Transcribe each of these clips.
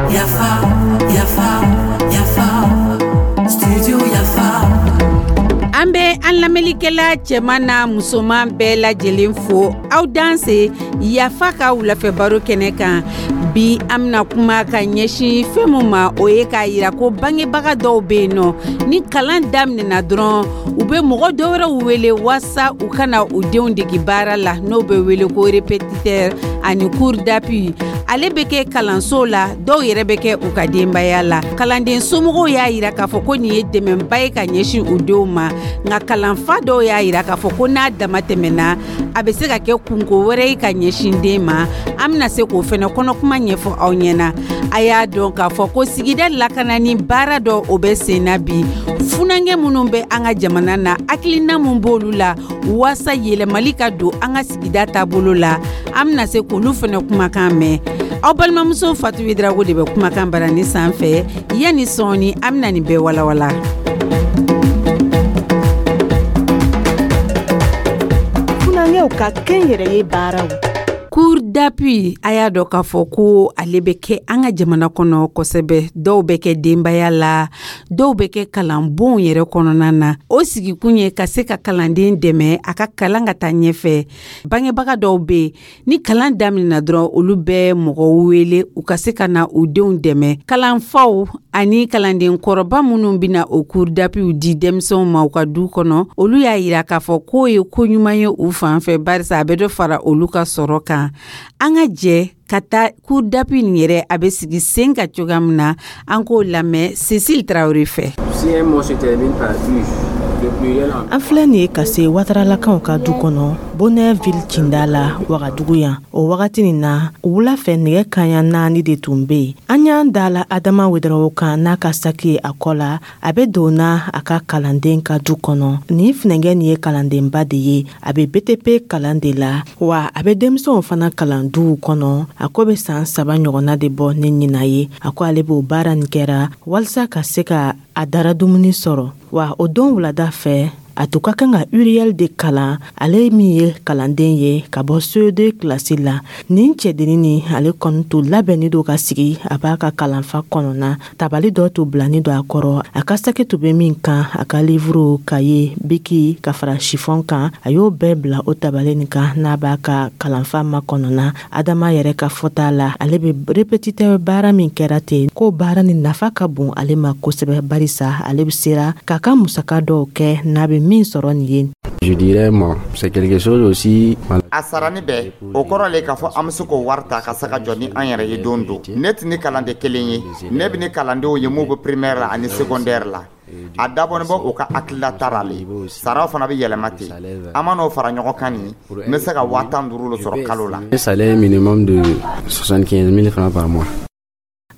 Yafa, yafa, yafa, studio Yafa. An bɛ an lamɛnlikɛla cɛman n'a musoman bɛɛ lajɛlen fo aw danse yafa ka wulafɛ baro kɛnɛ kan. Bi, an bɛna kuma ka ɲɛsin fɛn min ma, o ye k'a yira ko bangebaga dɔw bɛ yen nɔ, ni kalan daminɛna dɔrɔn, u bɛ mɔgɔ dɔwɛrɛw wele waasa u kana u denw degi baara la, n'o bɛ wele ko répétiteur ani cours d'appui. Ale bɛ kɛ kalanso la, dɔw yɛrɛ bɛ kɛ u ka denbaya la. Kalanden somɔgɔw y'a yira k'a fɔ ko nin ye dɛmɛba ye ka ɲɛsin u denw ma, nka kalanfa dɔw y'a yira k'a fɔ ko n'a dama tɛmɛna, a bɛ se ka kɛ kunko wɛrɛ ye ka ɲɛsin den ma. An bɛna se k'o fɛnɛ kɔnɔkuma ɲɛfɔ aw ɲɛna. A y'a dɔn k'a fɔ ko sigida lakanani baara dɔ, o bɛ sen na bi. Funankɛ minnu bɛ an ka jamana na, hakilina mun b'olu la waasa yɛlɛmali ka don an ka sigida taabolo la, an bɛna se k'olu fɛnɛ kumakan mɛn. Aw balimamuso Fatu Drago de bɛ kumakan barani sanfɛ. Yanni sɔɔni, an bɛna nin bɛɛ walawala. Funankɛw ka kɛnyɛrɛye baaraw. Cours d'appui, a y'a dɔn k'a fɔ ko ale bɛ kɛ an ka jamana kɔnɔ kosɛbɛ. Dɔw bɛ kɛ denbaya la, dɔw bɛ kɛ kalanbonw yɛrɛ kɔnɔna na. O sigikun ye ka se ka kalanden dɛmɛ a ka kalan ka taa ɲɛfɛ. Bangebaga dɔw bɛ yen, ni kalan daminɛna dɔrɔn, olu bɛ mɔgɔw wele u ka se ka na u denw dɛmɛ. Kalanfaw ani kalanden kɔrɔba minnu bɛna o cours d'appui di denmisɛnw ma u ka du kɔnɔ, olu y'a yira k'a fɔ k'o ye ko ɲuman ye u fan fɛ, barisa a bɛ dɔ fara olu ka sɔrɔ kan. An ka jɛ ka taa cours d'appui nin yɛrɛ, a bɛ sigi sen ka cogoya min na, an k'o lamɛn Cécile Tarawele fɛ. Si un mot se termine par U, le pluriel en An filɛ nin ye ka se Wataralakaw ka du kɔnɔ, Bonɛville cinda la, Wagadugu yan. O wagati nin na, wula fɛ nɛgɛ kaɲa 4 de tun bɛ yen. An y'an da la Adama Wedarawo kan n'a ka saki ye a kɔ la, a bɛ don na a ka kalanden ka du kɔnɔ. Nin funɛnkɛ nin ye kalandenba de ye, a bɛ BTP kalan de la, wa a bɛ denmisɛnw fana kalan duw kɔnɔ. A ko bɛ san 3 ɲɔgɔnna de bɔ ni ɲina ye. A ko ale b'o baara nin kɛra walasa ka se ka a dara dumuni sɔrɔ. Wa o don wulada fɛ, a tun ka kan ka Uriel de kalan, ale min ye kalanden ye ka bɔ CE2 kilasi la. Nin cɛdennin nin, ale kɔni tun labɛnni don ka sigi a b'a ka kalanfa kɔnɔna. Tabali dɔ tun bilani don a kɔrɔ, a ka saki tun bɛ min kan, a ka livuru, kaye, biki ka fara sifɔn kan, a y'o bɛɛ bila o tabali nin kan n'a b'a ka kalanfa makɔnɔna. Adama yɛrɛ ka fɔta la, ale bɛ répétiteur baara min kɛra ten, k'o baara nin nafa ka bon ale ma kosɛbɛ, barisa ale bɛ sera k'a ka musaka dɔw kɛ n'a bɛ min sɔrɔ nin ye. Je dirais, moi, c'est quelque chose aussi. A sarani bɛɛ, o kɔrɔ le k'a fɔ an bɛ se k'o wari ta ka se ka jɔ ni an yɛrɛ ye don don. Ne tɛ ni kalanden kelen ye, ne bɛ ni kalandenw ye mun bɛ primaire la ani secondaire la. A dabɔnin bɔ u ka hakililata la le, saraw fana bɛ yɛlɛma ten. An man'o fara ɲɔgɔn kan nin, n bɛ se ka 15 000 le sɔrɔ kalo la. Un salaire minimum de 75 000 francs par mois.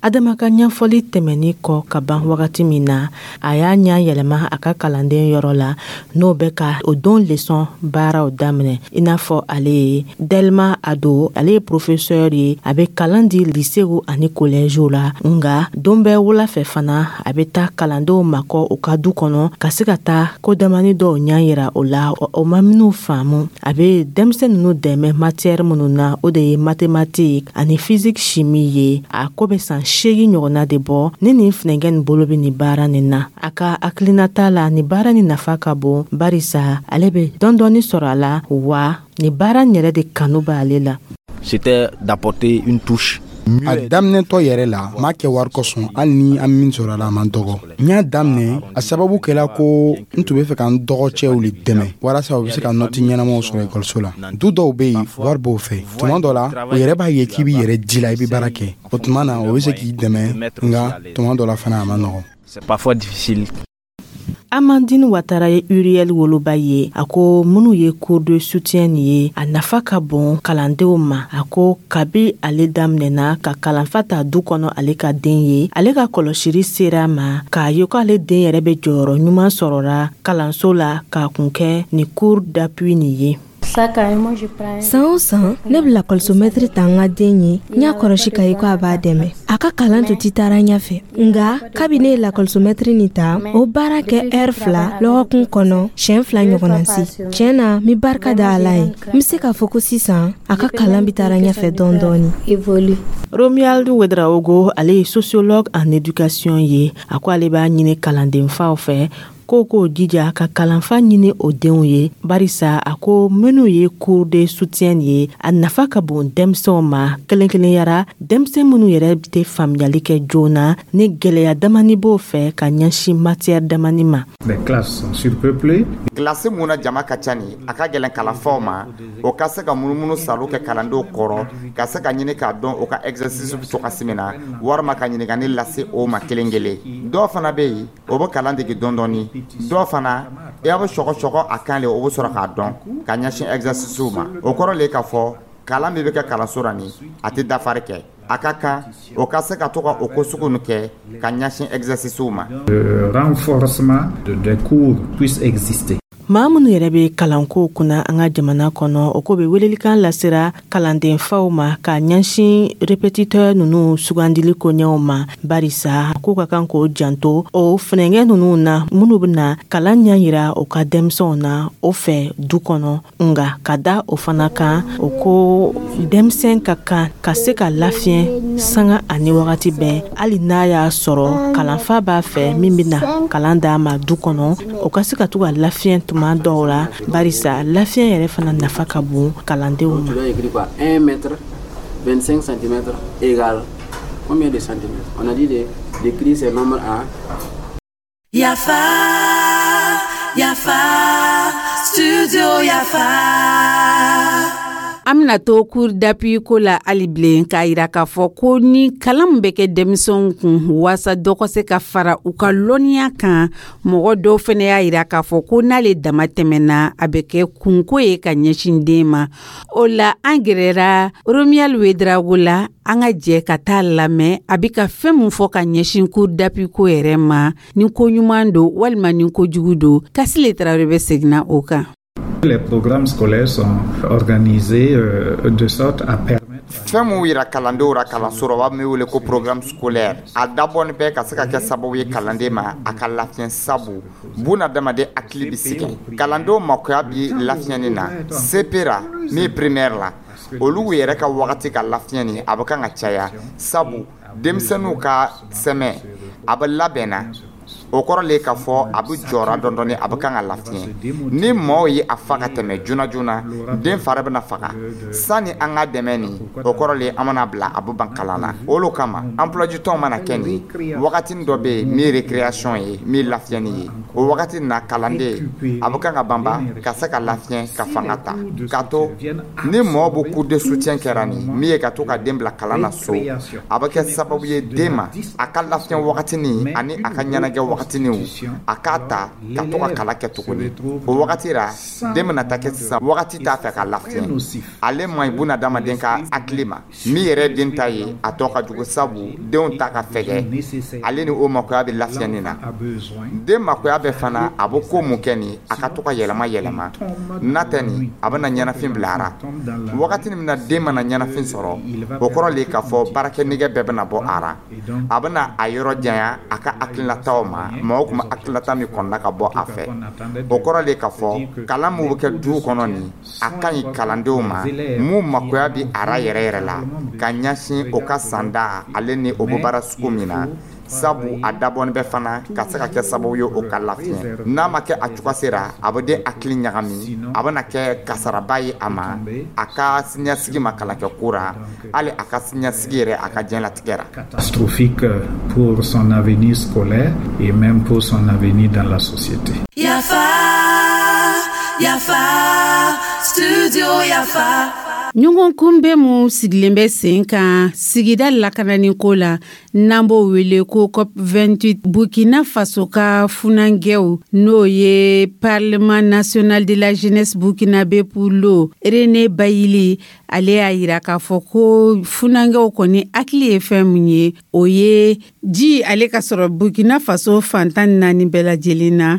Adama ka ɲɛfɔli tɛmɛni kɔ ka ban wagati min na, a y'a ɲa yɛlɛma a ka kalanden yɔrɔ la, n'o bɛ ka o don leçon baaraw daminɛ. I n'a fɔ ale ye Delma Ado, ale ye professeur ye, a bɛ kalan di lycéew ani collègew la. Nga don bɛɛ wula fɛ fana, a bɛ taa kalandenw makɔ u ka du kɔnɔ ka se ka taa ko damani dɔw ɲɛ yira o la, o ma minnu faamu. A bɛ denmisɛn ninnu dɛmɛ matière minnu na, o de ye mathématique ani physique chimie ye. A ko bɛ san 8 ɲɔgɔnna de bɔ ni nin funɛnkɛ nin bolo bɛ nin baara nin na. A ka hakilinata la, nin baara nin nafa ka bon, barisa ale bɛ dɔɔni sɔrɔ a la, wa nin baara nin yɛrɛ de kanu b'ale la. C'était d'apporter une touche. A daminɛtɔ yɛrɛ la, m'a kɛ wari kosɔn, hali ni an min sɔrɔ a la, a man dɔgɔ. N y'a daminɛ, a sababu kɛla ko n tun bɛ fɛ ka n dɔgɔcɛw le dɛmɛ walasa u bɛ se ka nɔti ɲɛnamaw sɔrɔ ekɔliso la. Du dɔw bɛ yen, wari b'o fɛ. Tuma dɔ la, o yɛrɛ b'a ye k'i b'i yɛrɛ ji la, i bɛ baara kɛ. O tuma na, o bɛ se k'i dɛmɛ, nka tuma dɔ la fana, a man nɔgɔn. C'est parfois difficile. Amandine Watara ye Uriel woloba ye. A ko minnu ye cours de soutien nin ye, a nafa ka bon kalandenw ma. A ko kabi ale daminɛna ka kalanfa ta du kɔnɔ, ale ka den ye, ale ka kɔlɔsili sera a ma k'a ye ko ale den yɛrɛ bɛ jɔyɔrɔ ɲuman sɔrɔra kalanso la k'a kun kɛ ni cours d'appui nin ye. San o san, ne bɛ lakɔlisomɛtiri ta n ka den ye. N y'a kɔlɔsi ka ye ko a b'a dɛmɛ, a ka kalan tun tɛ taara ɲɛfɛ. Nga kabi ne ye lakɔlisomɛtiri nin ta, o baara kɛ ɛri 2 lɔgɔkun kɔnɔ, siɲɛ 2 ɲɔgɔnna si. Tiɲɛ na, n bɛ barika da Ala ye. N bɛ se k'a fɔ ko sisan a ka kalan bɛ taara ɲɛfɛ dɔɔni dɔɔni. Romuald Ouedraogo, ale ye sociologue en éducation ye. A ko ale b'a ɲini kalandenfaw fɛ ko k'o jija ka kalanfa ɲini o denw ye, barisa a ko minnu ye cours de soutien ye, a nafa ka bon denmisɛnw ma, kelen kelenyara denmisɛn minnu yɛrɛ tɛ faamuyali kɛ joona ni gwɛlɛya damani b'o fɛ ka ɲɛsin matière damani ma. Les classes sont surpeuplées. Kilasi mun na jama ka ca ni, a ka gɛlɛn kalanfaw ma o ka se ka munumunu salo kɛ kalandenw kɔrɔ, ka se ka ɲini k'a dɔn o ka exercice bɛ cogoya min na, walima ka ɲininkali lase o ma kelen kelen. Dɔw fana bɛ yen, o bɛ kalan dege dɔɔni dɔɔni. Dɔw fana, i b'a sɔgɔ sɔgɔ a kan le, o bɛ sɔrɔ k'a dɔn ka ɲɛsin exercice ma. O kɔrɔ le k'a fɔ kalan min bɛ kɛ kalanso la nin, a tɛ dafari kɛ. A ka kan o ka se ka to ka o ko sugu nin kɛ ka ɲɛsin exercice ma. Le renforcement des cours puisse exister. Maa minnu yɛrɛ bɛ kalanko kunna an ka jamana kɔnɔ, o ko bɛ welelikan lasera kalandenfaw ma ka ɲɛsin répétiteur ninnu sugandili koɲɛw ma, barisa ko ka kan k'o janto o funɛnkɛ ninnu na minnu bɛna kalan ɲɛ yira o ka denmisɛnw na o fɛ du kɔnɔ. Nga ka da o fana kan, o ko denmisɛn ka kan ka se ka lafiɲɛ sanga ani wagati bɛɛ, hali n'a y'a sɔrɔ kalanfa b'a fɛ min bɛna kalan d'a ma du kɔnɔ, o ka se ka to ka lafiɲɛ tuma dɔw la, barisa lafiɲɛ yɛrɛ fana nafa ka bon kalandenw ma. Tu dois écrire quoi? 1 mètre 25 cm égale combien de centimètres? On a dit d'écrire ces nombres à Yafa, Yafa, Studio Yafa. An bɛna to cours d'appui ko la hali bilen, k'a yira k'a fɔ ko ni kalan min bɛ kɛ denmisɛnw kun waasa dɔ ka se ka fara u ka lɔnniya kan, mɔgɔ dɔw fana y'a yira k'a fɔ ko n'ale dama tɛmɛna, a bɛ kɛ kunko ye ka ɲɛsin den ma. O la, an gɛrɛra Romuald Ouedraogo la. An ka jɛ ka taa lamɛn a bɛ ka fɛn min fɔ ka ɲɛsin cours d'appui ko yɛrɛ ma, ni ko ɲuman don walima ni ko jugu don. Kasile Tarawele bɛ seginna o kan. Les programmes scolaires sont organisés de sorte à permettre Fɛn mun yira kalandenw ra kalanso rɔ, u b'a min wele ko programme scolaire, a dabɔni bɛ ka se ka kɛ sababu ye kalanden ma a ka lafiɲɛ, sabu bunadamaden hakili bi sigi. Kalandenw makoya bi lafiɲɛni na CP ra, min ye primaire la, olu yɛrɛ ka wagati ka lafiɲɛ ni, a bɛ kan ka caya, sabu denmisɛnninw ka sɛmɛ a bɛ labɛnna. O kɔrɔ le k'a fɔ a bɛ jɔra dɔɔni dɔɔni, a bɛ kan ka lafiɲɛ. Ni maaw ye a fa ka tɛmɛ joona joona, den fari bɛna faga sani an ka dɛmɛ nin. O kɔrɔ le an mana bila, a bɛ ban kalan na. O lo kama emploi du temps mana kɛ nin, wagatinin dɔ bɛ yen min ye récréation ye, min ye lafiɲɛni ye. O wagati nin na, kalanden a bɛ kan ka banba ka se ka lafiɲɛ, ka fanga ta k'a to ni mɔgɔ bɛ cours de soutien kɛra nin min ye ka to ka den bila kalan na so, a bɛ kɛ sababu ye den ma a ka lafiɲɛ wagatinin ani a ka ɲɛnajɛ wagatinin, a k'a ta ka to ka kalan kɛ tuguni. O wagati la, den bɛna taa kɛ sisan wagati t'a fɛ ka lafiɲɛ. Ale man ɲi bunadamaden ka hakili ma. Min yɛrɛ den ta ye, a tɔ ka jugu, sabu denw ta ka fɛgɛ, ale ni o makoya bɛ lafiɲɛni na. Den makoya bɛ fana, a bɛ ko mun kɛ nin, a ka to ka yɛlɛma yɛlɛma n'a tɛ nin, a bɛna ɲɛnafin bila a ra. Wagati min na den mana ɲɛnafin sɔrɔ, o kɔrɔ le k'a fɔ baarakɛ nɛgɛ bɛɛ bɛna bɔ a ra. A bɛna a yɔrɔ janya a ka hakilinataw ma, maaw tun bɛ hakilinata min kɔnɔna ka bɔ a fɛ. O kɔrɔ le k'a fɔ kalan min bɛ kɛ du kɔnɔ nin, a ka ɲi kalandenw ma mun makoya bi a ra yɛrɛ yɛrɛ la ka ɲɛsin o ka sanda ale ni o bɛ baara sugu min na, sabu a dabɔni bɛ fana ka se ka kɛ sababu ye o ka lafiɲɛ. N'a ma kɛ a cogoya sera, a bɛ den hakili ɲagami, a bɛna kɛ kasaraba ye a ma, a ka siniɲɛsigi ma kalankɛ ko ra, hali a ka siniɲɛsigi yɛrɛ, a ka diɲɛlatigɛ ra. Catastrophique pour son avenir scolaire et même pour son avenir dans la société. Yafa, Yafa, Studio Yafa. Ɲɔgɔn kunbɛn mun sigilen bɛ sen kan sigida lakanani ko la, n'an b'o wele ko COP 28, Burkina Faso ka funankɛw, n'o ye Parlement national de la jeunesse burkinabé pour l'eau, René Bayili, ale y'a yira k'a fɔ ko funankɛw kɔni hakili ye fɛn min ye, o ye ji ale ka sɔrɔ Burkina Faso fantan 4 bɛɛ lajɛlen na.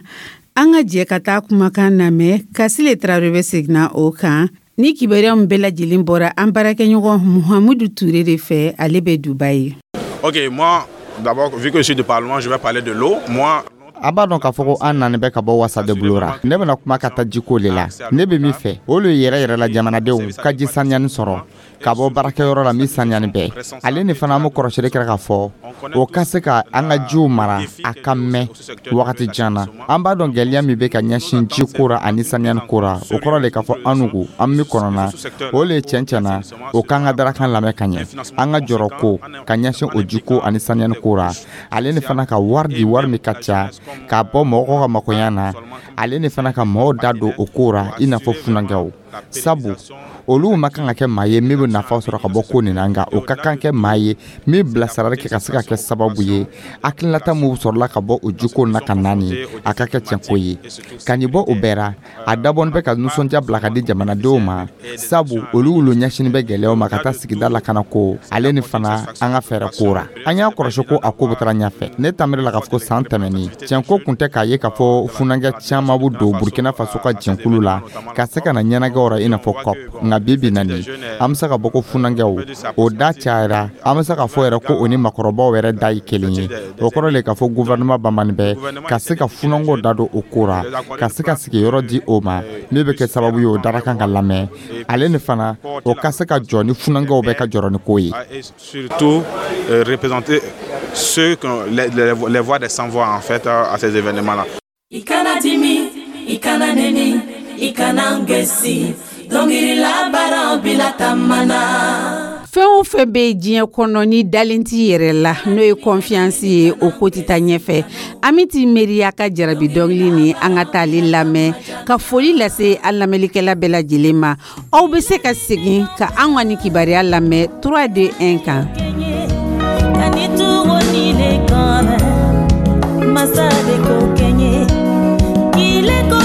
An ka jɛ ka taa kumakan lamɛn. Kasile Tarawele bɛ seginna o kan ni kibaruya min bɛɛ lajɛlen bɔra an baarakɛɲɔgɔn Muhamudu Ture de fɛ, ale bɛ Dubayi. Ok, moi, d'abord, vu que je suis du Parlement, je vais parler de l'eau. Moi, An b'a dɔn k'a fɔ ko an nani bɛ ka bɔ wasadenbulo ra. Ne bɛna kuma ka taa jiko le la. Ne bɛ min fɛ, o le yɛrɛ yɛrɛ la, jamanadenw ka ji saniyani sɔrɔ ka bɔ baarakɛyɔrɔ la min saniyani bɛɛ. Ale ni fana, an bɛ kɔrɔsili kɛra k'a fɔ o ka se ka an ka jiw mara a ka mɛn wagati jan na. An b'a dɔn gwɛlɛya min bɛ ka ɲɛsin ji ko ra ani saniyani ko ra. O kɔrɔ le k'a fɔ an nugu an min kɔnɔna o le cɛn cɛn na, o k'an ka darakan lamɛn ka ɲɛ, an ka jɔrɔ ko ka ɲɛsin o jiko ani saniyani ko ra. Ale ni fana, ka wari di, wari min ka ca, k'a bɔ mɔgɔw ka makoɲa na. Ale ni fana, ka mɔgɔw da don o ko ra, i n'a fɔ funankɛw, sabu olu ma kan ka kɛ maa ye min bɛ nafa sɔrɔ ka bɔ ko nin na, nka o ka kan kɛ maa ye min bilasirali kɛ ka se ka kɛ sababu ye hakilinata min sɔrɔla ka bɔ o jiko na ka na nin, a ka kɛ tiɲɛko ye ka nin bɔ o bɛɛ ra. A dabɔnin bɛ ka nisɔndiya bila ka di jamanadenw ma, sabu olu wolo ɲɛsinin bɛ gɛlɛyaw ma ka taa sigida lakana ko. Ale ni fana, an ka fɛɛrɛ ko ra, an y'a kɔlɔsi ko a ko bɛ taara ɲɛfɛ. Ne tamiri la k'a fɔ ko san tɛmɛnin, tiɲɛko kun tɛ k'a ye k'a fɔ funankɛ caman bɛ don Burkina Faso ka jɛnkulu la ka se ka na ɲɛnajɛw ra, i n'a fɔ COP. Nka bi bi na nin, an bɛ se ka bɔ ko funankɛw o da cayara. An bɛ se ka fɔ yɛrɛ ko o ni makɔrɔbaw yɛrɛ da ye kelen ye. O kɔrɔ le k'a fɔ gouvernement banbani bɛ ka se ka funankɛw da don o ko ra, ka se ka sigiyɔrɔ di o ma min bɛ kɛ sababu ye o darakan ka lamɛn. Ale ni fana, o ka se ka jɔ ni funankɛw bɛ ka jɔrɔ ni ko ye. Surtout représenter ceux les voix des sans-voix en fait à ces événements-là. I kana dimi, i kana neni, i kana ngesi, dɔnkili labaara bila tamana. Fɛn o fɛn bɛ diɲɛ kɔnɔ, ni dalen t'i yɛrɛ la, n'o ye confiance ye, o ko tɛ taa ɲɛfɛ. An bɛ t'i miiriya ka jarabi dɔnkili ni an ka taale lamɛn, ka foli lase an lamɛnlikɛla bɛɛ lajɛlen ma. Aw bɛ se ka segin ka an ka nin kibaruya lamɛn 3 2 1 kan. Kani tugo ni le kɔnɔ masa de ko kɛɲɛ kile ko.